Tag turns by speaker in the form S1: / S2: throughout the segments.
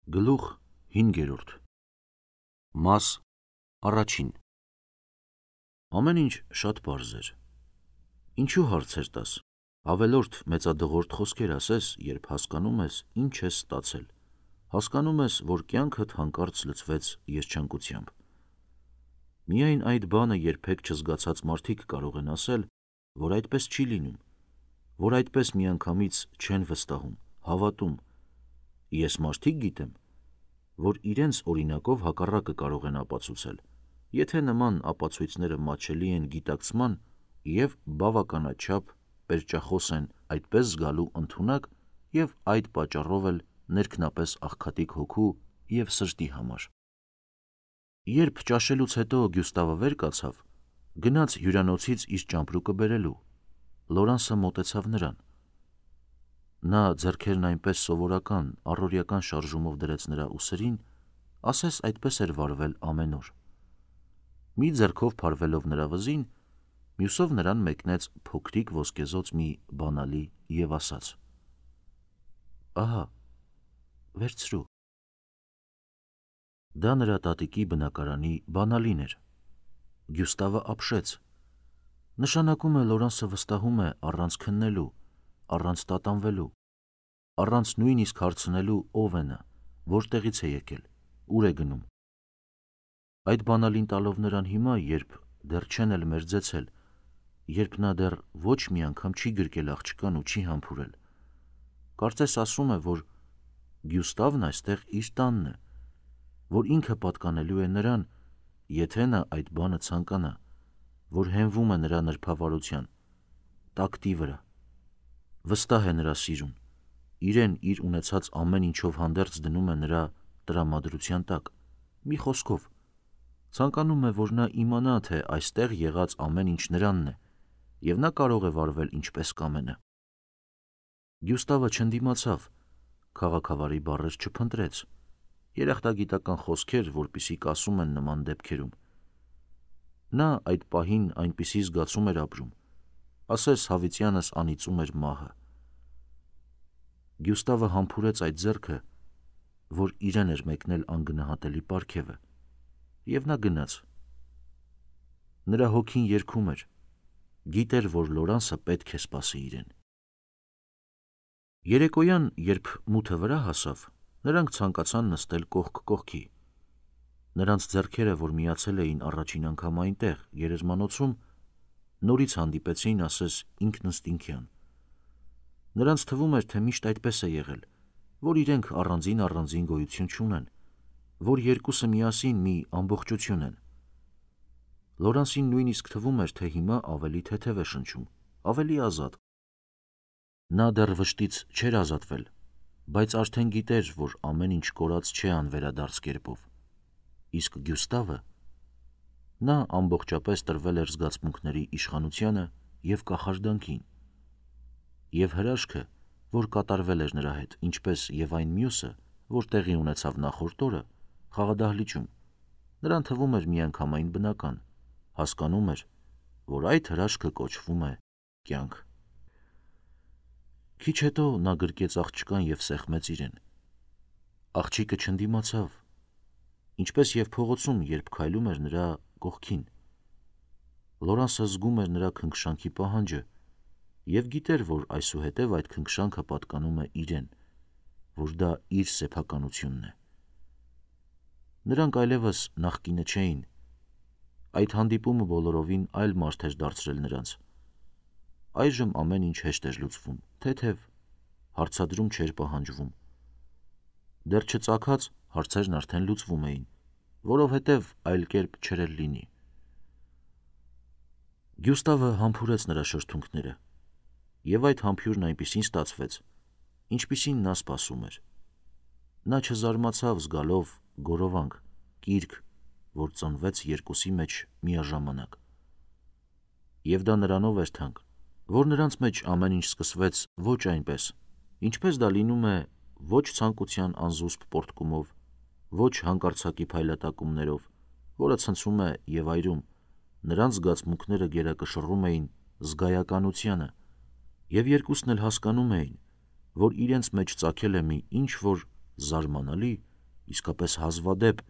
S1: Գլուխ 5. Մաս առաջին. Ամեն ինչ շատ պարզ էր. ինչու հարցեր տաս, ավելորդ մեծադղորդ խոսքեր ասես, երբ հասկանում ես ինչ ես ստացել, հասկանում ես, որ կյանքդ հանկարծ լցվեց երջանկությամբ։ Միայն այդ բանը երբեք չզգացած մարդիկ կարող են ասել, որ այդպես չի լինում, որ այդպես միանգամից չեն վստահում, հավատում։ Ես մարդիկ գիտեմ, որ իրենց օրինակով հակառակը կարող են ապացուցել, եթե նման ապացույցները մատչելի են գիտակցման և բավականաչափ պերճախոս են այդպես զգալու ընդունակ և այդ պատճառով էլ ներքնապես աղքատիկ հոգու և սրտի համար։ Երբ ճաշելուց հետո Գյուստավը վեր կացավ, գնաց հյուրանոցից իր ճամպրուկը բերելու, Լորանսը մոտեցավ նրան։ Նա ձեռքերն այնպես սովորական, առօրեական շարժումով դրեց նրա ուսերին, ասես այդպես էր վարվել ամեն օր։ Մի ձեռքով փարվելով նրա վզին, մյուսով նրան մեկնեց փոքրիկ ոսկեզօծ մի բանալի և ասաց. «Ահա, վերցրու»։ Դա նրա տատիկի բնակարանի բանալին էր։ Գյուստավը ապշեց։ Նշանակում է Լորանսը վստահում է առանց քննելու, առանց տատանվելու, առանց նույնիսկ հարցնելու ով է նա, որտեղից է եկել, ուր է գնում։ Այդ բանալին տալով նրան հիմա, երբ դեռ չեն էլ մերձեցել, երբ նա դեռ ոչ մի անգամ չի գրկել աղջկան ու չի համբուրել, կարծես ասում է, որ Գյուստավն այստեղ իր տանն է, որ ինքը պատկանելու է նրան, եթե նա այդ բանը ցանկանա, որ հենվում է նրա նրբավարության, տակտի վրա, վստահ է նրա սիրուն, իրեն իր ունեցած ամեն ինչով հանդերձ դնում է նրա տրամադրության տակ, մի խոսքով, ցանկանում է, որ նա իմանա, թե այստեղ եղած ամեն ինչ նրանն է, և նա կարող է վարվել ինչպես կամենա։ Գյուստավը չընդդիմացավ, քաղաքավարի բառեր չփնտրեց, երախտագիտական խոսքեր, որպիսի կասում են նման դեպքերում։ Նա այդ պահին այնպիսի զգացում էր ապրում, ասես հավիտյանս անիծում էր մահը։ Գյուստավը համբուրեց այդ ձեռքը, որ իրեն էր մեկնել անգնահատելի պարգևը, և նա գնաց։ Նրա հոգին երգում էր, գիտեր, որ Լորանսը պետք է սպասի իրեն։ Երեկոյան, երբ մութը վրա հասավ, նրանք ցանկացան նստել կողք կողքի։ Նրանց ձեռքերը, որ միացել էին առաջին անգամ այնտեղ, գերեզմանոցում, նորից հանդիպեցին, ասես ինքնըստինքյան։ Նրանց թվում էր, թե միշտ այդպես է եղել, որ իրենք առանձին գոյություն չունեն, որ երկուսը միասին մի ամբողջություն են։ Լորանսին նույնիսկ թվում էր, թե հիմա ավելի թեթև է շնչում, ավելի ազատ։ Նա դեռ վշտից չէր ազատվել, բայց արդեն գիտեր, որ ամեն ինչ կորած չէ անվերադարձ կերպով։ Իսկ Գյուստավը, նա ամբողջապես տրվել էր զգացմունքների իշխանությանը և կախարդանքին։ Եվ հրաշքը, որ կատարվել էր նրա հետ, ինչպես և այն մյուսը, որ տեղի ունեցավ նախորդ օրը, խաղադահլիճում, նրան թվում էր միանգամայն բնական, հասկանում էր, որ այդ հրաշքը կոչվում է կյանք։ Քիչ հետո նա գրկեց աղջկան և սեղմեց իրեն։ Աղջիկը չընդդիմացավ, ինչպես և փողոցում, երբ քայլում էր նրա կողքին։ Լորանսը զգում էր նրա քնքշանքի պահանջը և գիտեր, որ այսուհետև այդ քնքշանքը պատկանում է իրեն, որ դա իր սեփականությունն է։ Նրանք այլևս նախկինը չէին։ Այդ հանդիպումը բոլորովին այլ մարդ էր դարձրել նրանց։ Այժմ ամեն ինչ հեշտ էր լուծվում, թեթև, հարցադրում չէր պահանջվում։ Դեռ չծագած հարցերն արդեն լուծվում էին, որովհետև այլ կերպ չէր էլ լինի։ Գյուստավը համբուրեց նրա շրթունքները, և այդ համբուրն այնպիսին ստացվեց, ինչպիսին նա սպասում էր։ Նա չզարմացավ զգալով գորովանք, կիրք, որ ծնվեց երկուսի մեջ միաժամանակ։ Եվ դա նրանով էր թանկ, որ նրանց մեջ ամեն ինչ սկսվեց ոչ այնպես, ինչպես դա լինում է ոչ ցանկության անզուսպ պոռթկումով, ոչ հանկարծակի փայլատակումներով, որը ցնցում է և այրում, նրանց զգացմունքները գերակշռում էին զգայականությանը, և երկուսն էլ հասկանում էին, որ իրենց մեջ ծագել է մի ինչ-որ զարմանալի իսկապես հազվադեպ,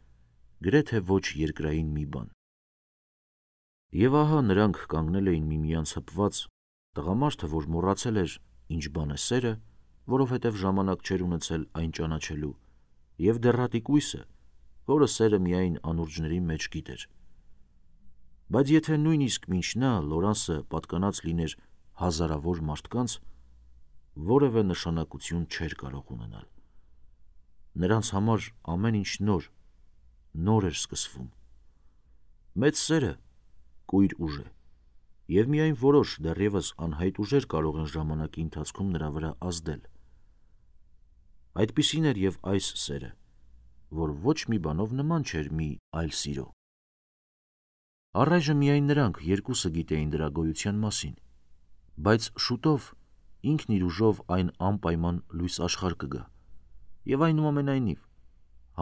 S1: գրեթե ոչ երկրային մի բան։ Եվ ահա նրանք կանգնել էին միմյանց հպված, տղամարդը, որ մոռացել էր ինչ բան է սերը, որովհետև ժամանակ չէր ունեցել այն ճանաչելու, և դեռատիկույսը, որը սերը միայն անուրջների մեջ գիտեր։ Բայց եթե նույնիսկ մինչ նա Լորանսը պատկանած լիներ հազարավոր մարդկանց, որևէ նշանակություն չէր կարող ունենալ։ Նրանց համար ամեն ինչ նոր էր սկսվում։ Մեծ սերը կույր ուժ է, և միայն որոշ դեռևս անհայտ ուժեր կարող են ժամանակի ընթացքում նրա վրա ազդել։ Այդպիսին էր և այս սերը, որ ոչ մի բանով նման չէր մի այլ սիրո։ Առայժմ միայն նրանք երկուսը գիտեին դրա գոյության մասին, բայց շուտով ինքն իր ուժով այն անպայման լույս աշխարհ կգա, և այնուամենայնիվ,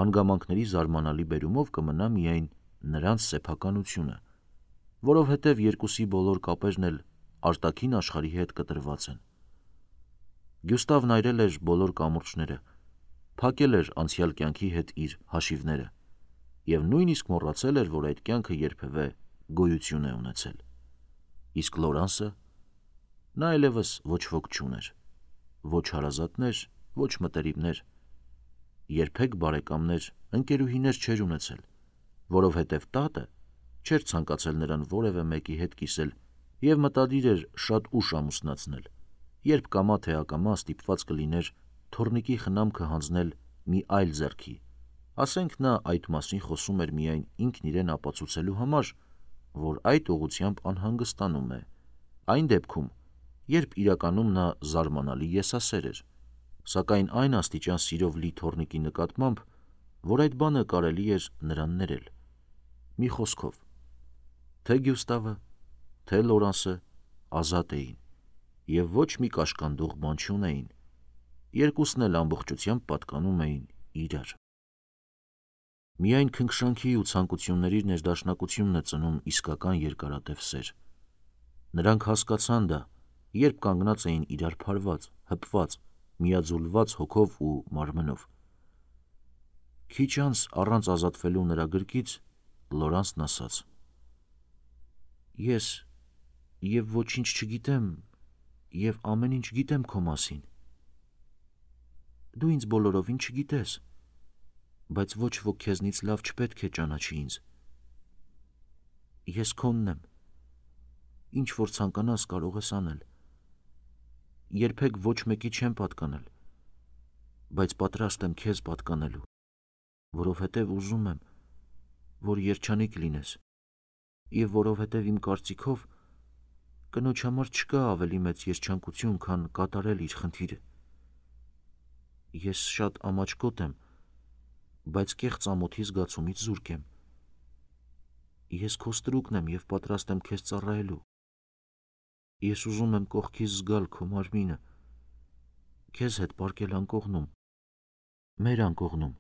S1: հանգամանքների զարմանալի բերումով կմնա միայն նրանց սեփականությունը, որովհետև երկուսի բոլոր կապերն էլ արտաքին աշխարհի հետ կտրված են։ Գյուստավն այրել էր բոլոր կամուրջները, փակել էր անցյալ կյանքի հետ իր հաշիվները և նույնիսկ մոռացել էր, որ այդ կյանքը երբևէ գոյություն է ունեցել։ Իսկ Լորանսը, նա այլևս ոչ ոք չուներ, ոչ հարազատներ, ոչ մտերիմներ, երբեք բարեկամներ, ընկերուհիներ չէր ունեցել, որովհետև տատը չէր ցանկացել նրան որևէ մեկի հետ կիսել և մտադիր էր շատ ուշ ամուսնացնել, երբ կամա թե ակամա ստիպված կլիներ թոռնիկի խնամքը հանձնել մի այլ ձեռքի, ասենք նա այդ մասին խոսում էր միայն ինքն իրեն ապացուցելու համար, որ այդ ուղղությամբ անհանգստանում է, այն դեպքում, երբ իրականում նա զարմանալի եսասեր էր, սակայն այն աստիճան սիրով լի թոռնիկի նկատմամբ, որ այդ բանը կարելի էր նրան ներել։ Մի խոսքով, թե Գյուստավը, թե Լորանսը ազատ էին և ոչ մի կաշկանդող բան չունեին, երկուսն էլ ամբողջությամբ պատկանում էին իրար։ Միայն քնքշանքի ու ցանկությունների ներդաշնակությունն է ծնում իսկական երկարատև սեր։ Նրանք հասկացան դա, երբ կանգնած էին իրար փարված, հպված, միաձուլված հոգով ու մարմնով։ Քիչ անց առանց ազատվելու նրա գրկից Լորանսն ասաց. «Ես և ոչինչ չգիտեմ, և ամեն ինչ գիտեմ քո մասին։ Դու ինձ բոլորովին չգիտես, բայց ոչ ոք քեզնից լավ չպետք է ճանաչի ինձ։ Ես քոնն եմ, ինչ որ ցանկանաս կարող ես անել։ Երբեք ոչ մեկի չեմ պատկանել, բայց պատրաստ եմ քեզ պատկանելու, որովհետև ուզում եմ, որ երջանիկ լինես, և որովհետև իմ կարծիքով կնոջ համար չկա ավելի մեծ երջանկություն, քան կատարել իր խնդիրը։ Ես շատ ամաչկոտ եմ, բայց կեղծ ամոթի զգացումից զուրկ եմ։ Ես քո ստրուկն եմ և պատրաստ եմ քեզ ծառայելու։ Ես ուզում եմ կողքիս զգալ քո մարմինը, քեզ հետ պառկել անկողնում, մեր անկողնում,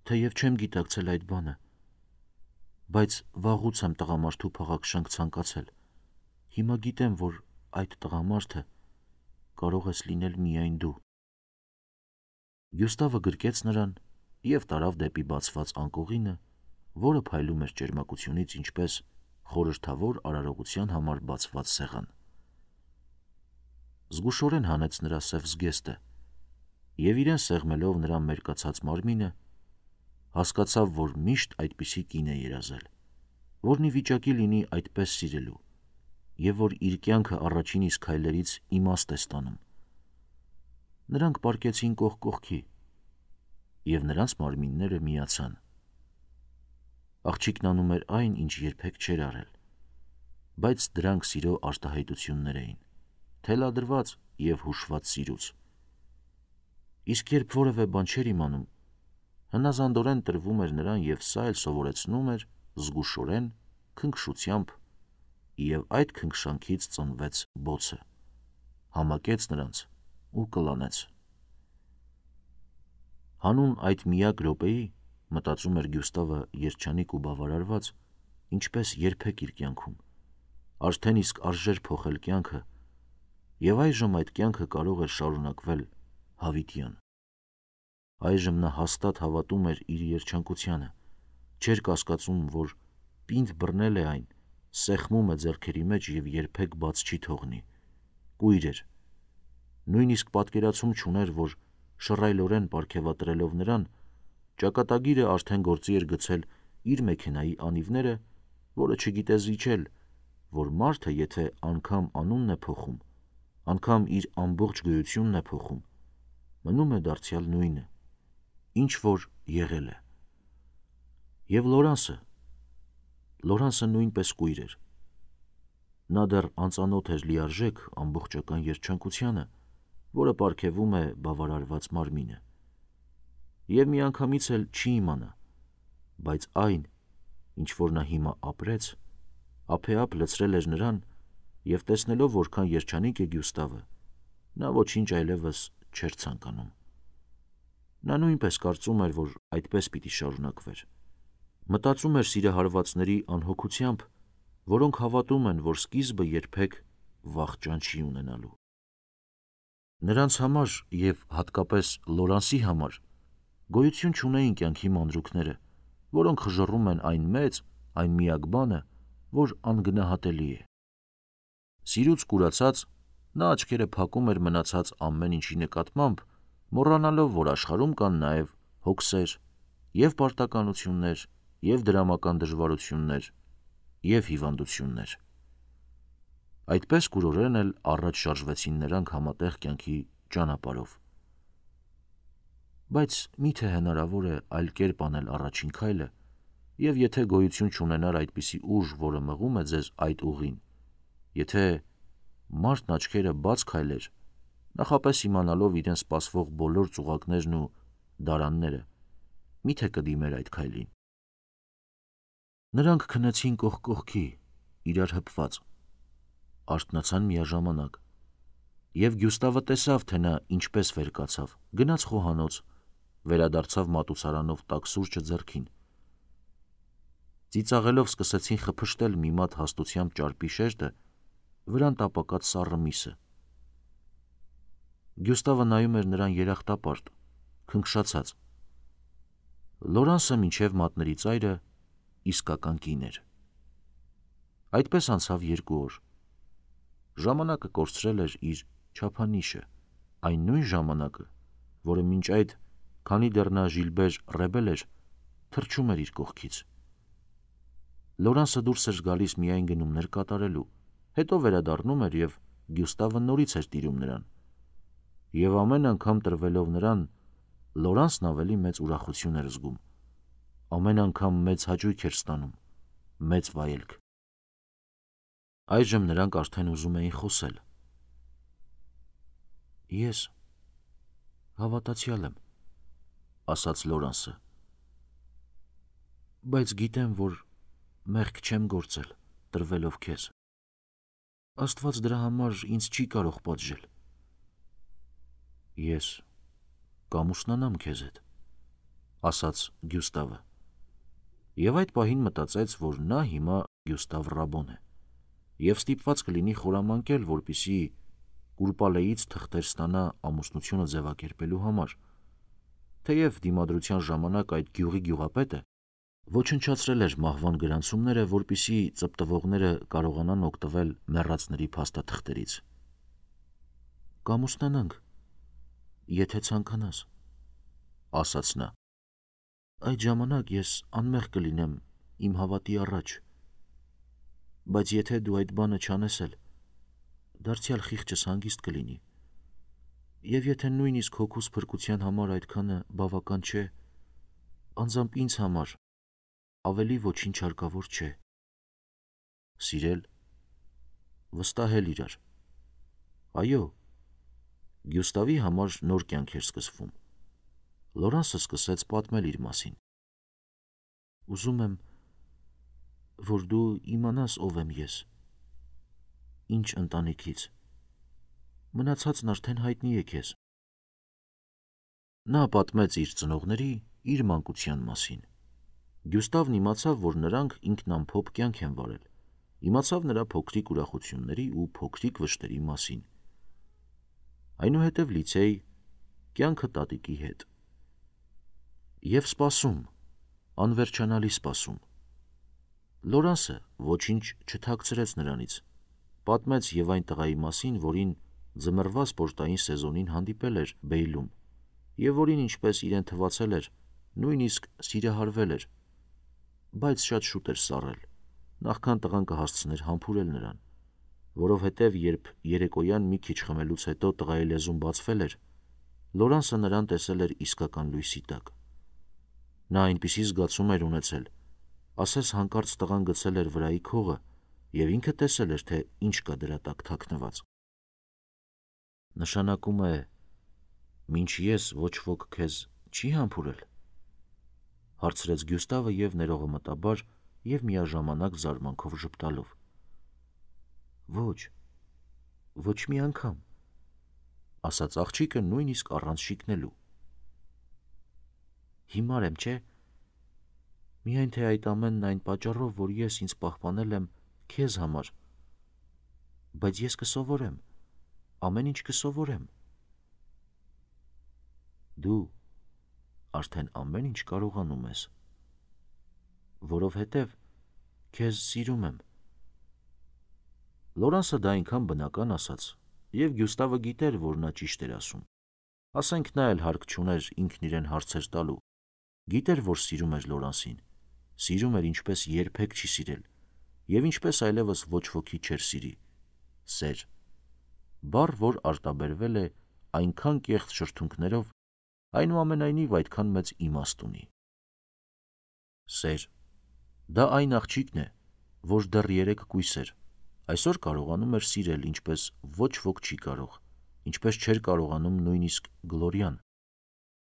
S1: թեև չեմ գիտակցել այդ բանը, բայց վաղուց եմ տղամարդու փաղաքշանք ցանկացել, հիմա գիտեմ, որ այդ տղամարդը կարող ես լինել միայն դու։ Գյուստավը գրկեց նրան և տարավ դեպի բացված անկողինը, որը փայլում էր ճերմակությունից ինչպես խորհրդավոր արարողության համար բացված սեղան։ Զգուշորեն հանեց նրա սև զգեստը և իրեն սեղմելով նրա մերկացած մարմինը, հասկացավ, որ միշտ այդպիսի կին է երազել, որն ի վիճակի լինի այդպես սիրելու, և որ իր կյանքը առաջին իսկ քայլերից իմաստ է ստանում։ Նրանք պառկեցին կողք կողքի, և նրանց մարմինները միացան։ Աղջիկն անում էր այն, ինչ երբեք չէր արել, բայց դրանք սիրո արտահայտություններ էին, թելադրված և հուշված սիրուց։ Իսկ երբ որևէ բան չէր իմանում, հնազանդորեն տրվում էր նրան և սա էլ սովորեցնում էր զգուշորեն, քնքշությամբ, և այդ քնքշանքից ծնվեց բոցը, համակեց նրանց ու կլանեց։ Հանուն այդ միակ րոպեի, մտածում էր Գյուստավը երջանիկ ու բավարարված, ինչպես երբեք իր կյանքում, արդեն իսկ արժեր փոխել կյանքը, և այժմ այդ կյանքը կարող էր շարունակվել հավիտյան։ Այժմ նա հաստատ հավատում էր իր երջանկությանը, չէր կասկածում, որ պինդ բռնել է այն, սեղմում է ձեռքերի մեջ և երբեք բաց չի թողնի։ Կույր էր։ Նույնիսկ պատկերացում չուներ, որ շռայլորեն պարգևատրելով նրան, ճակատագիրը արդեն գործի էր գցել իր մեքենայի անիվները, որը չգիտե զիջել, որ մարդը, եթե անգամ անունն է փոխում, անգամ իր ամբողջ գոյությունն է փոխում, մնում է դարձյալ նույնը, ինչ որ եղել է։ Եվ Լորանսը նույնպես կույր էր։ Նա դեռ անծանոթ էր լիարժեք ամբողջական երջանկությանը, որը պարգևում է բավարարված մարմինը։ Եվ միանգամից էլ չի իմանա, բայց այն, ինչ որ նա հիմա ապրեց, ափեափ լցրել էր նրան, և տեսնելով որքան երջանիկ է Գյուստավը, նա ոչինչ այլևս չէր ցանկանում։ Նա նույնպես կարծում էր, որ այդպես պիտի շարունակվեր։ Մտածում էր սիրահարվածների անհոգությամբ, որոնք հավատում են, որ սկիզբը երբեք վախճան չի ունենալու։ Նրանց համար և հատկապես Լորանսի համար գոյություն չունեին կյանքի մանրուքները, որոնք խժռում են այն մեծ, այն միակ բանը, որ անգնահատելի է։ Սիրուց կուրացած, նա աչքերը փակում էր մնացած ամեն ինչի նկատմամբ, մոռանալով, որ աշխարհում կան նաև հոգսեր, և պարտականություններ, և դրամական դժվարություններ, և հիվանդություններ։ Այդպես կուրորեն էլ առաջ շարժվեցին նրանք համատեղ կյանքի ճանապարհով։ Բայց մի՞թե հնարավոր է այլ կերպ անել առաջին քայլը, և եթե գոյություն չունենար այդպիսի ուժ, որը մղում է ձեզ այդ ուղին, եթե մարդն աչքերը բաց քայլեր, նախապես իմանալով իրեն սպասվող բոլոր ծուղակներն ու դարանները, մի՞թե կդիմեր այդ քայլին։ Նրանք քնեցին կողք կողքի, իրար հպված, արթնացան միաժամանակ, և Գյուստավը տեսավ, թե նա ինչպես վեր կացավ, գնաց խոհանոց, վերադարձավ մատուցարանով տաք սուրճը ձեռքին։ Ծիծաղելով սկսեցին խփշտել մի մատ հաստությամբ ճարպի շերտը, վրան տապակած սառը միսը։ Գյուստավը նայում էր նրան երախտապարտ, քնքշացած։ Լորանսը մինչև մատների ծայրը իսկական կին էր։ Այդպես անցավ 2 օր։ Ժամանակը կորցրել էր իր չափանիշը, այն նույն ժամանակը, որը մինչ այդ, քանի դեռ նա Ժիլբեր Ռեբել էր, թռչում էր իր կողքից։ Լորանսը դուրս էր գալիս միայն գնումներ կատարելու, հետո վերադառնում էր և Գյուստավը նորից էր տիրում նրան։ Եվ ամեն անգամ տրվելով նրան, Լորանսն ավելի մեծ ուրախություն էր զգում, ամեն անգամ մեծ հաճույք էր ստանում, մեծ վայելք։ Այժմ նրանք արդեն ուզում էին խոսել։ Ես հավատացյալ եմ, ասաց Լորանսը, բայց գիտեմ, որ մեղք չեմ գործել, տրվելով քեզ։ Աստված դրա համար ինձ չի կարող պատժել։ Ես կամուսնանամ քեզ հետ, ասաց Գյուստավը, և այդ պահին մտածեց, որ նա հիմա Գյուստավ Ռաբոն է, և ստիպված կլինի խորամանկել, որպեսզի կուրպալեից թղթեր ստանա ամուսնությունը ձևակերպելու համար, թեև դիմադրության ժամանակ այդ գյուղի գյուղապետը ոչնչացրել էր մահվան գրանցումները, որպեսզի ծպտվողները կարողանան օգտվել մեռածների փաստաթղթերից։ Կամուսնանանք, եթե ցանկանաս, ասաց նա։ Այդ ժամանակ ես անմեղ կլինեմ իմ հավատի առաջ, բայց եթե դու այդ բանը չանես էլ, դարձյալ խիղճս հանգիստ կլինի, և եթե նույնիսկ հոգուս փրկության համար այդքանը բավական չէ, անձամբ ինձ համար ավելի ոչինչ հարկավոր չէ։ Սիրել, վստահել իրար։ Այո, Գյուստավի համար նոր կյանք էր սկսվում։ Լորանսը սկսեց պատմել իր մասին։ Ուզում եմ, որ դու իմանաս ով եմ ես, ինչ ընտանիքից, մնացածն արդեն հայտնի է քեզ։ Նա պատմեց իր ծնողների, իր մանկության մասին։ Գյուստավն իմացավ, որ նրանք ինքնամփոփ կյանք են վարել, իմացավ նրա փոքրիկ ուրախությունների ու փոքրիկ վշտերի մասին։ Այնուհետև լիցեյ, կյանքը տատիկի հետ։ Եվ սպասում, անվերջանալի սպասում։ Լորանսը ոչինչ չթաքցրեց նրանից, պատմեց եւ այն տղայի մասին, որին ձմեռվա սպորտային սեզոնին հանդիպել էր Բեյլում, եւ որին, ինչպես իրեն թվացել էր, նույնիսկ սիրահարվել էր, բայց շատ շուտ էր սառել, նախքան տղան կհասցներ համբուրել նրան, որովհետև երբ երեկոյան մի քիչ խմելուց հետո տղայի լեզուն բացվել էր, Լորանսը նրան տեսել էր իսկական լույսի տակ։ Նա այնպիսի զգացում էր ունեցել, ասես հանկարծ տղան գցել էր վրայի քողը եւ ինքը տեսել էր, թե ինչ կա դրա տակ թաքնված։ Նշանակում է, մինչ ես ոչ ոք քեզ չի համբուրել, հարցրեց Գյուստավը եւ ներողամտաբար եւ միաժամանակ զարմանքով ժպտալով։ Ոչ մի անգամ, ասաց աղջիկը նույնիսկ առանց շիկնելու։ Հիմար եմ, չէ՞։ Միայն թե այդ ամենն այն պատճառով, որ ես ինձ պահպանել եմ քեզ համար։ Բայց ես կսովորեմ, ամեն ինչ կսովորեմ։ Դու արդեն ամեն ինչ կարողանում ես, որովհետև քեզ սիրում եմ։ Լորանսը դա այնքան բնական ասաց, եւ Գյուստավը գիտեր, որ նա ճիշտ էր ասում։ Ասենք նա էլ հարկ չուներ ինքն իրեն հարցեր տալու։ Գիտեր, որ սիրում էր Լորանսին, սիրում էր ինչպես երբեք չի սիրել, եւ ինչպես այլևս ոչ ոքի չէր սիրի։ Սեր։ Բառ, որ արտաբերվել է այնքան կեղծ շրթունքներով, այնուամենայնիվ այդքան մեծ իմաստ ունի։ Սեր։ Դա այն աղջիկն է, որ դեռ 3 կույս էր, այսօր կարողանում էր սիրել, ինչպես ոչ ոք չի կարող, ինչպես չէր կարողանում նույնիսկ Գլորյան։